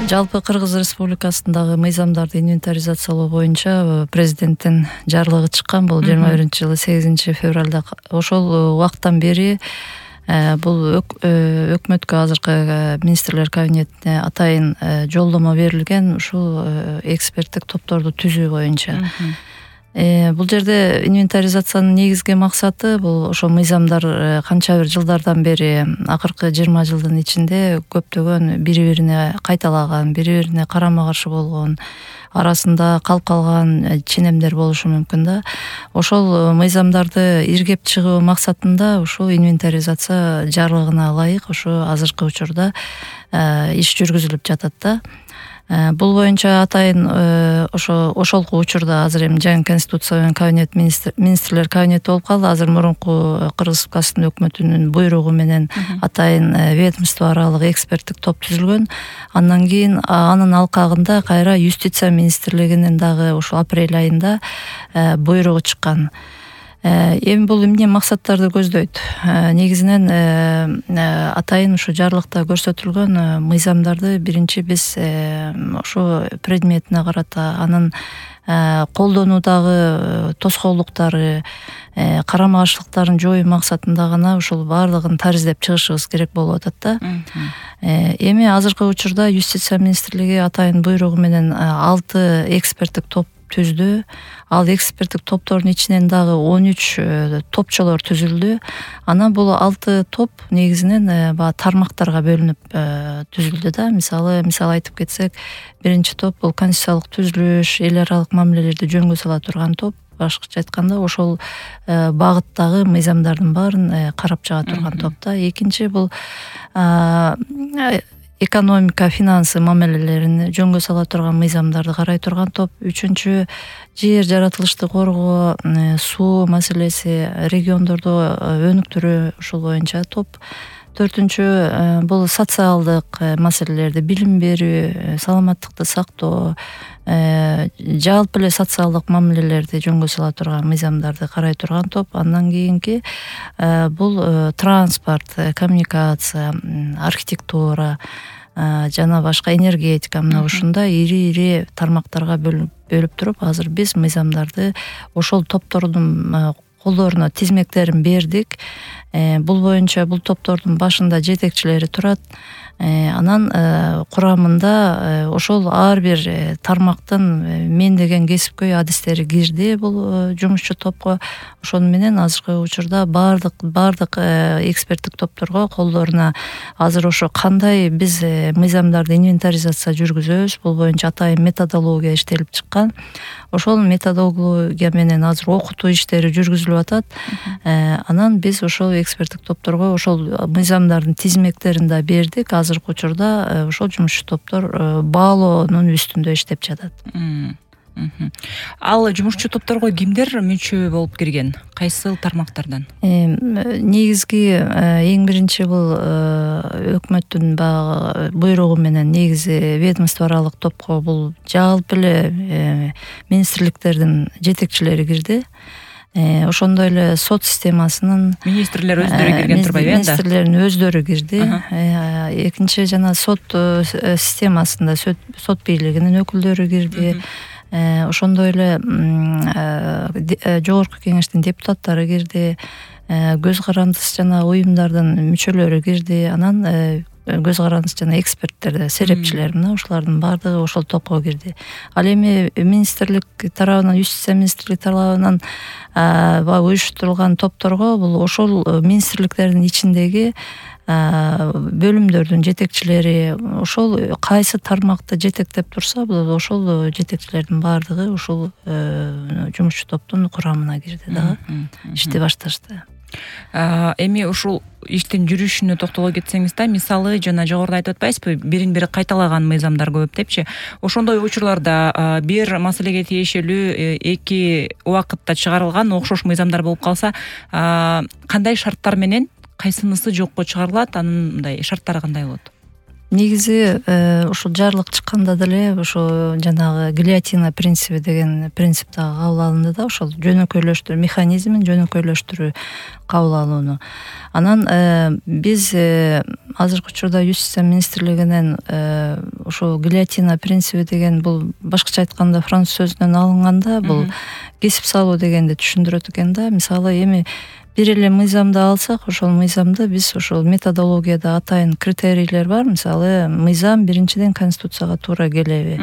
Жалпы Кыргыз Республикасындагы мыйзамдарды инвентаризациялоо боюнча президенттин жарлыгы чыккан. Бул 21-жылы 8-февралда. Ошол убакыттан бери бул өкмөткө, азыркы министрлер кабинетине атайын жолдомо берилген ушул эксперттик топторду түзүү боюнча. Бул жерде инвентаризациянын негизги максаты бул ошо мыйзамдар канча бир жылдардан бери, акыркы 20 жылдын ичинде көптөгөн бири-бирине кайталаган, бири-бирине карама-каршы болгон, арасында калып калган ченемдер болушу мүмкүн да. Ошол мыйзамдарды иргеп чыгуу максатында ушул инвентаризация жарлыгына ылайык ошо азыркы учурда иш жүргүзүлүп жатат да. Бул боюнча атайын ошолку учурда азыр эми жаңы конституция менен кабинет министрлер кабинети болуп калды. Азыр мурунку Кыргыз Республикасынын өкмөтүнүн буйругу менен атайын ведомство аралык эксперттик топ түзүлгөн. Андан кийин анын алкагында кайра юстиция министрлигинин дагы ошол апрель айында буйругу чыккан. Эми бул эмне максаттарды көздөйт? Негизинен атайын ушу жарлыкта көрсөтүлгөн мыйзамдарды биринчи биз ошо предметине карата, анын колдонуудагы тоскоолдуктары, карама-каршылыктарын жоюу максатында гана ушул баардыгын тариздеп чыгышыбыз керек болуп атат да. Эми азыркы учурда юстиция министрлиги атайын буйругу менен 6 эксперттик топ түздү. Ал эксперттик топтордун ичинен дагы 13 топчолор түзүлдү. Анан бул 6 топ негизинен баягы тармактарга бөлүнүп түзүлдү да. Мисалы айтып кетсек, биринчи топ бул конституциялык түзүлүш, эл аралык мамилелерди жөнгө сала турган топ. Башкача айтканда ошол багыттагы мыйзамдардын баарын карап чыга турган топ да. Экинчи бул экономика, финансы мамилелерин жөнгө сала турган мыйзамдарды карай турган топ. Үчүнчү жер жаратылышты коргоо, суу маселеси, региондордо өнүктүрүү, ушул боюнча топ. Төртүнчү бул социалдык маселелерди, билим берүү, саламаттыкты сактоо, жалпы эле социалдык мамилелерди жөнгө сала турган мыйзамдарды карай турган топ. Андан кийинки бул транспорт, коммуникация, архитектура жана башка, энергетика, мына ушундай ири тармактарга бөлүп туруп, азыр биз мыйзамдарды ошол топтордун колдоруна тизмектерин бердик. Бул боюнча бул топтордун башында жетекчилери турат. Анан курамында ошол ар бир тармактын мен деген кесипкөй адистери кирди бул жумушчу топко. Ошону менен азыркы учурда баардык эксперттик топторго колдоруна азыр ошо кандай биз мыйзамдарды инвентаризация жүргүзөбүз, бул боюнча атайын методология иштелип чыккан. Ошол методология менен азыр окутуу иштери жүргүзүлүп атат. Анан биз ошол эксперттик топторго ошол мыйзамдардын тизмектерин да бердик. Азыркы учурда ошол жумушчу топтор баалоонун үстүндө иштеп жатат. Ал жумушчу топторго кимдер мүчө болуп кирген? Кайсыл тармактардан? Негизги эң биринчи бул өкмөттүн баягы буйругу менен негизи ведомство аралык топко бул жалпы эле министрликтердин жетекчилери кирди. Ошондой эле сот системасынын министрлер өздөрү кирген турбайбы энди? Министрлердин өздөрү кирди. Экинчи жана сот системасында сот бийлигинин өкүлдөрү кирди. Ошондой эле жогорку кеңештин депутаттары кирди. Көз карандыс жана уюмдардын мүчөлөрү кирди. Анан көз карандыс жана эксперттер, серепчилер, мына ушулардын баардыгы ошол топко кирди. Ал эми министрлик тарабынан, юстиция министрлиги тарабынан уюштурулган топторго бул ошол министрликтердин ичиндеги бөлүмдөрдүн жетекчилери, ошол кайсы тармакты жетектеп турса, бул ошол жетекчилердин баардыгы ушул жумушчу топтун курамына кирди дагы, ишти башташты. Эми ушул иштин жүрүшүнө токтоло кетсеңиз да, мисалы жана жогоруда айтып атпайсызбы, бирин бири кайталаган мыйзамдар көп депчи. Ошондой учурларда бир маселеге тиешелүү эки убакытта чыгарылган окшош мыйзамдар болуп калса, кандай шарттар менен кайсынысы жокко чыгарылат, анын мындай шарттары кандай болот? Негизи ушул жарлык чыкканда деле ошо жанагы гильотина принципи деген принцип дагы кабыл алынды да, ошол жөнөкөйлөштүрүү механизмин жөнөкөйлөштүрүү кабыл алууну. Анан биз азыркы учурда юстиция министрлигинен ошол гильотина принциби деген бул башкача айтканда француз сөзүнөн алынганда бул кесип салуу дегенди түшүндүрөт экен да. Мисалы эми бир эле мыйзамды алсак, ошол мыйзамды биз ошол методологияда атайын критерийлер бар. Мисалы мыйзам биринчиден конституцияга туура келеби,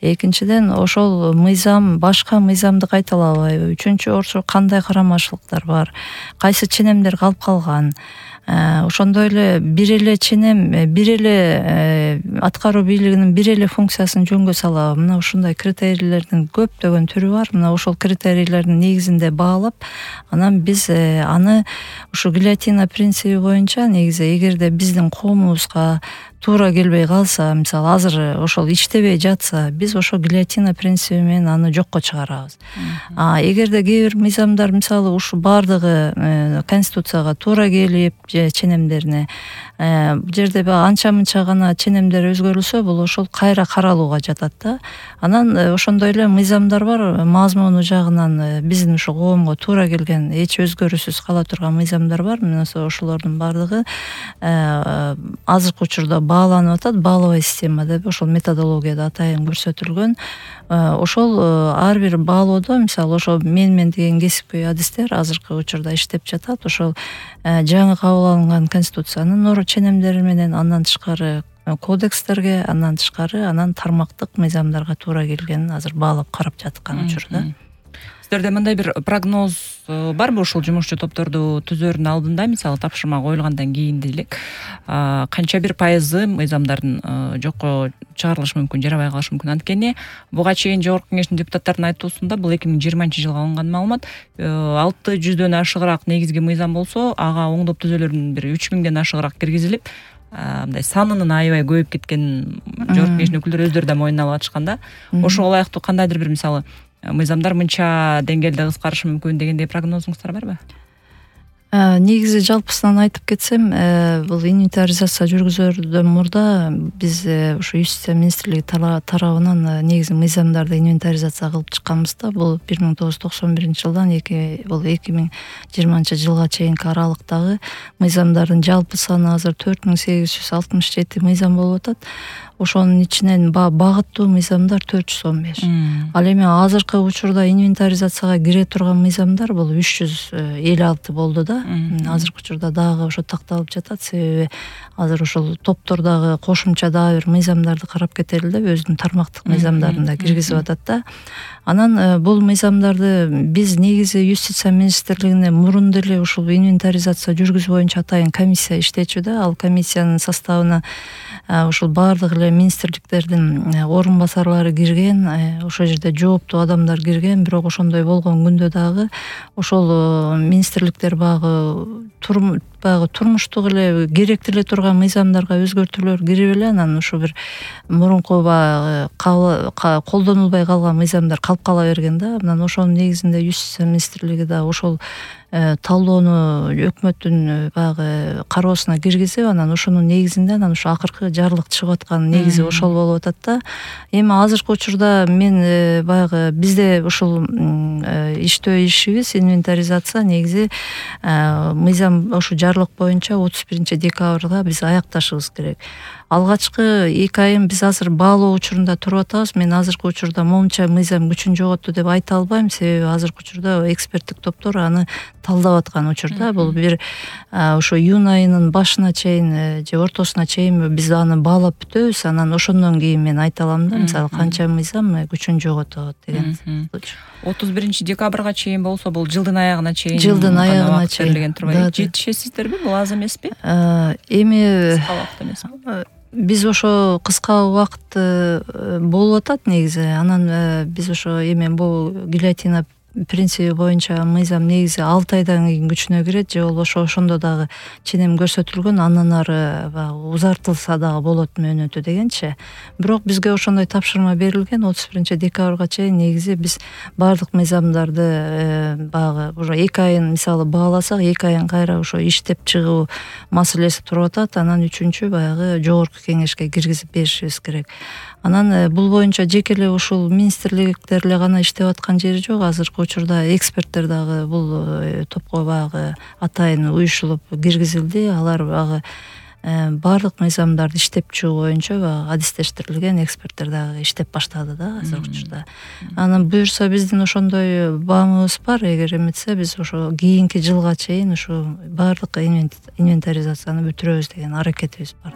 экинчиден ошол мыйзам башка мыйзамды кайталабайбы, үчүнчү ошо кандай карамачылыктар бар, кайсы ченемдер калып калган. Ошондой эле бир эле ченем, бир эле аткаруу бийлигинин бир эле функциясын жөнгө салабы. Мына ушундай критерийлердин көптөгөн түрү бар. Мына ошол критерийлердин негизинде баалап, анан биз аны ушу гильотина принциби боюнча негизи эгерде биздин коомубузга туура келбей калса, мисалы азыр ошол иштебей жатса, биз ошо гильотина принциби менен аны жокко чыгарабыз. Эгерде кээ бир мыйзамдар мисалы ушу баардыгы конституцияга туура келип же ченемдерине бул жерде анча мынча гана ченемдер өзгөрүлсө, бул ошол кайра каралууга жатат да. Анан ошондой эле мыйзамдар бар, мазмуну жагынан биздин ушу коомго туура келген, эч өзгөрүүсүз кала турган мыйзамдар бар. Мына ошолордун баардыгы азыркы учурда бааланып атат. Баалабай система деп ошол методологияда атайын көрсөтүлгөн. Ошол ар бир баалоодо мисалы ошол менмен деген кесипкөй адистер азыркы учурда иштеп жатат. Ошол жаңы кабыл алынган конституциянын ченемдери менен, андан тышкары кодекстерге, андан тышкары анан тармактык мыйзамдарга туура келгенин азыр баалап карап жаткан учурда. Сиздерде мындай бир прогноз барбы ушул жумушчу топторду түзөөрдүн алдында, мисалы тапшырма коюлгандан кийин делек, канча бир пайызы мыйзамдардын жокко чыгарылышы мүмкүн, жарабай калышы мүмкүн? Анткени буга чейин Жогорку Кеңештин депутаттарынын айтуусунда бул 2020-жылга алынган маалымат, 600дөн ашыгыраак негизги мыйзам болсо, ага оңдоп түзөөлөрдүн бир 3000ден ашыгыраак киргизилип, мындай санынын аябай көбөйүп кеткен Жогорку Кеңештин өкүлдөрү өздөрү да моюнуна алып атышкан да. Ошого ылайыктуу кандайдыр бир мисалы мыйзамдар мынча деңгээлде кыскарышы мүмкүн дегендей прогнозуңуздар барбы? Негизи жалпысынан айтып кетсем, бул инвентаризация жүргүзөрдөн мурда биз ушу юстиция министрлиги тарабынан негизи мыйзамдарды инвентаризация кылып чыкканбыз да. Бул 1991-жылдан бул 2020-жылга чейинки аралыктагы мыйзамдардын жалпы саны азыр 4867 мыйзам болуп атат. Ошонун ичинен багыттуу мыйзамдар 415. Ал эми азыркы учурда инвентаризацияга кире турган мыйзамдар бул 356 болду да. Азыркы учурда дагы ошо такталып жатат, себеби азыр ошол топтордогу кошумча дагы бир мыйзамдарды карап кетели деп өзүнүн тармактык мыйзамдарын да киргизип атат да. Анан бул мыйзамдарды биз негизи юстиция министрлигине мурун деле ушул инвентаризация жүргүзүү боюнча атайын комиссия иштечү да. Ал комиссиянын составына ушул баардык эле министрликтердин орун басарлары кирген, ошол жерде жооптуу адамдар кирген. Бирок ошондой болгон күндө дагы ошол министрликтер багы турмуштук эле керектүү эле турган мыйзамдарга өзгөртүүлөр кирип эле, анан ушу бир мурунку колдонулбай калган мыйзамдар калып кала берген да. Анан ошонун негизинде юстиция министрлиги да ошол талдоону өкмөттүн баягы кароосуна киргизип, анан ошонун негизинде анан ушу акыркы жарлык чыгып аткан негизи ошол болуп атат да. Эми азыркы учурда мен баягы бизде ушул иштөө ишибиз инвентаризация негизи мыйзам ошо жарлык боюнча 31-декабрга биз аякташыбыз керек. Алгачкы 2 айын биз азыр баалоо учурунда туруп атабыз. Мен азыркы учурда момунча мыйзам күчүн жоготту деп айта албайм, себеби азыркы учурда эксперттик топтор аны талдап аткан учурда. Бул бир ошо июнь айынын башына чейин же ортосуна чейин биз аны баалап бүтөбүз. Анан ошондон кийин мен айта алам да, мисалы канча мыйзам күчүн жоготот деген. 31-декабрга чейин болсо, бул жылдын аягына чейин. Жылдын аягына чейин жетишесиздерби? Бул аз эмеспи? Эми кыска убакыт эмеспи? Биз ошо кыска убакыт болуп атат негизи. Анан биз ошо эми бул гильотина принциби боюнча мыйзам негизи 6 айдан кийин күчүнө кирет, же болбосо ошондо дагы ченем көрсөтүлгөн, андан ары узартылса дагы болот мөөнөтү дегенчи. Бирок бизге ошондой тапшырма берилген. 31-декабрга чейин негизи биз баардык мыйзамдарды баягы уже 2 айын мисалы бааласак, 2 айын кайра ошо иштеп чыгуу маселеси туруп атат. Анан 3-чү баягы жогорку кеңешке киргизип беришибиз керек. Анан бул боюнча жеке эле ушул министрликтер эле гана иштеп аткан жери жок. Азыркы учурда эксперттер дагы бул топко баягы атайын уюшулуп киргизилди. Алар баягы баардык мыйзамдарды иштеп чыгуу боюнча баягы адистештирилген эксперттер дагы иштеп баштады да азыркы учурда. Анан буюрса биздин ошондой баамыбыз бар. Эгер эметсе биз ошо кийинки жылга чейин ушу баардык инвентаризацияны бүтүрөбүз деген аракетибиз бар.